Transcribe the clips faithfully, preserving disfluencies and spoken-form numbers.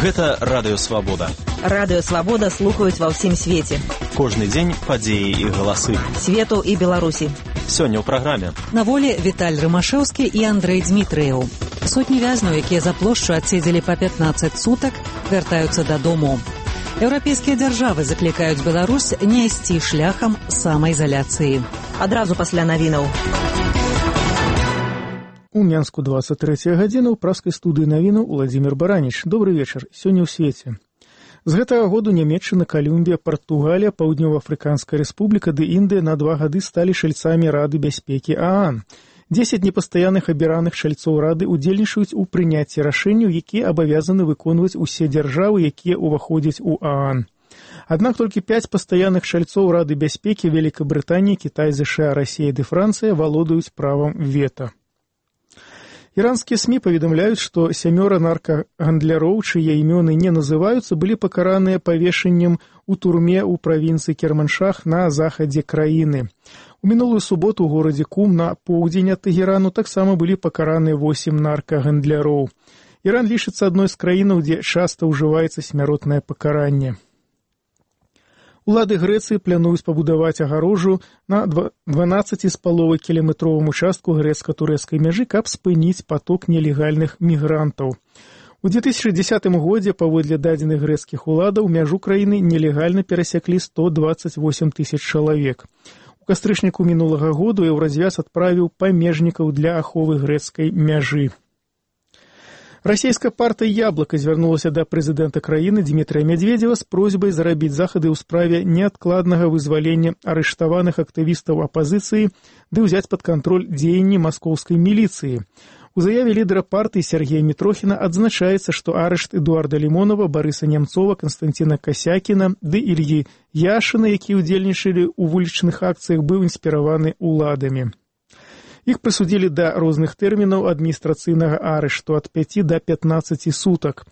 Гэта Радыё Свабода. Радыё Свабода слухаюць ва ўсім свеце. Кожны дзень падзеі і галасы. Свету і Беларусі. Сёння ў праграме. На волі Віталь Рымашэўскі і Андрэй Дзмітрыеў. Сотні вязняў, якія за плошчу адседзелі па пятнаццаць сутак, вяртаюцца дадому. Еўрапейскія дзяржавы заклікаюць Беларусь не ісці шляхам самаізаляцыі. Адразу пасля навінаў. У Менску двадцать третья гадзіна ў праскай студыі навінаў Уладзімір Бараніч. Добры вечар. Сёння ў свеце. З гэтага году Нямецчына, Калумбія, Партугалія, Паўднёва-Афрыканская рэспубліка ды Індыя на два гады сталі чальцамі Рады бяспекі ААН. Дзесяць непастаянных абіраных чальцоў Рады удзельнічаюць у прыняцці рашэнняў, якія абавязаны выконваць усе дзяржавы, якія ўваходзяць у ААН. Аднак толькі пяць пастаянных чальцоў Рады бяспекі Великабрытанія, Кітай, ЗША, Расія ды Францыя валодаюць правам вета. Іранскія СМІ паведамляюць, што сямёра наркагандляроў, чые імёны не называюцца, былі пакараныя павешаннем у турме ў правінцыі Керманшах на захадзе краіны. У мінулую суботу ў горадзе Кум на поўдзень ад Тэгерану таксама былі пакараныя восем наркагандляроў. Іран лічыцца адной з краінаў, дзе часта ўжываецца смяротнае пакаранне. Улады Грэцыі плануюць пабудаваць агарожу на дванаццаці з паловай кіламетровым участку грэцка-турэцкай мяжы, каб спыніць паток нелегальных мігрантаў. У две тысячи дзесятым годзе, паводле дадзеных грэцкіх уладаў, мяжу краіны нелегальна перасяклі сто дваццаць восем тысяч чалавек. У кастрычніку мінулага году Еўразвяз адправіў памежнікаў для аховы грэцкай мяжы. Расійская партыя «Яблока» звярнулася да прэзідэнта краіны Дмітрыя Мядзведзева з просьбай зарабіць захады ў справе неадкладнага вызвалення арыштаваных актывістаў апазіцыі ды ўзяць пад кантроль дзеянні маскоўскай міліцыі. У заяве лідара партыі Сергея Мітрохіна адзначаецца, што арышт Эдуарда Лімонова, Барыса Нямцова, Канстанціна Касякіна ды Ільі Яшына, якія ўдзельнічалі ў вулічных акцыях, быў інспіраваны уладамі. Іх прысудзілі да розных тэрмінаў адміністрацыйнага арышту ад пяці да пятнаццаці сутак.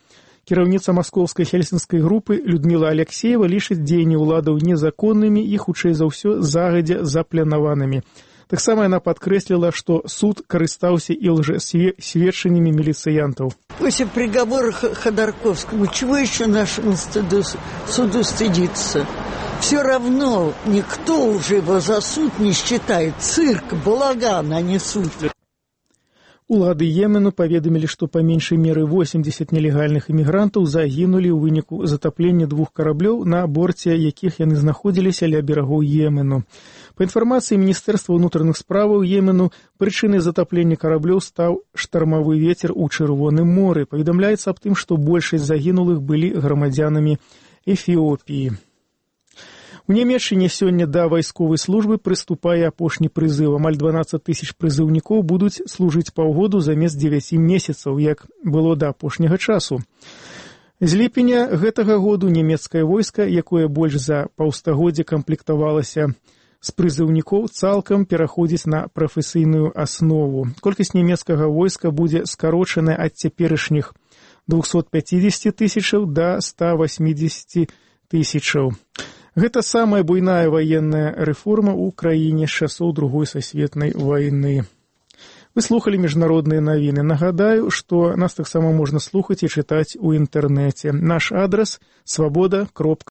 Кіраўніца маскоўскай хельсінскай групы Людміла Аляксеева лічыць дзеянні ўладаў незаконнымі і, хутчэй за ўсё, загадзя запланаванымі. Таксама яна падкрэсліла, што суд карыстаўся і лжесведчаннямі міліцыянтаў. После приговора Ходорковскому чего еще нашему стыду, суду стыдиться? Все равно никто уже его за суд не считает. Цирк, балаган, а не суд. Улады Йемену паведамілі, што па меншай меры восемьдесят нелегальных імігрантаў загінулі ў выніку затаплення двух караблёў, на борце якіх яны знаходзіліся ля берагоў Йемену. Па інфармацыі Міністэрства ўнутраных справаў Йемену, прычынай затаплення караблёў стаў штармавы вецер у Чырвоным моры. Паведамляецца аб тым, што большасць загінулых былі грамадзянамі Эфіопіі. У Нямецчыне сёння да вайсковай службы прыступае апошні прызыў. Амаль дванаццаць тысяч прызыўнікоў будуць служыць паўгоду замест дзевяці месяцаў, як было да апошняга часу. З ліпеня гэтага году нямецкае войска, якое больш за паўстагоддзя камплектавалася з прызыўнікоў, цалкам пераходзіць на прафесійную аснову. Колькасць нямецкага войска будзе скарочаная ад цяперашніх двухсот пяцідзесяці тысячаў да ста восьмідзесяці тысячаў. Гэта самая буйная ваенная рэформа ў краіне з часоў Другой сусветнай вайны. Вы слухалі міжнародныя навіны. Нагадаю, што нас таксама можна слухаць і чытаць у інтэрнэце. Наш адрас свабода кропка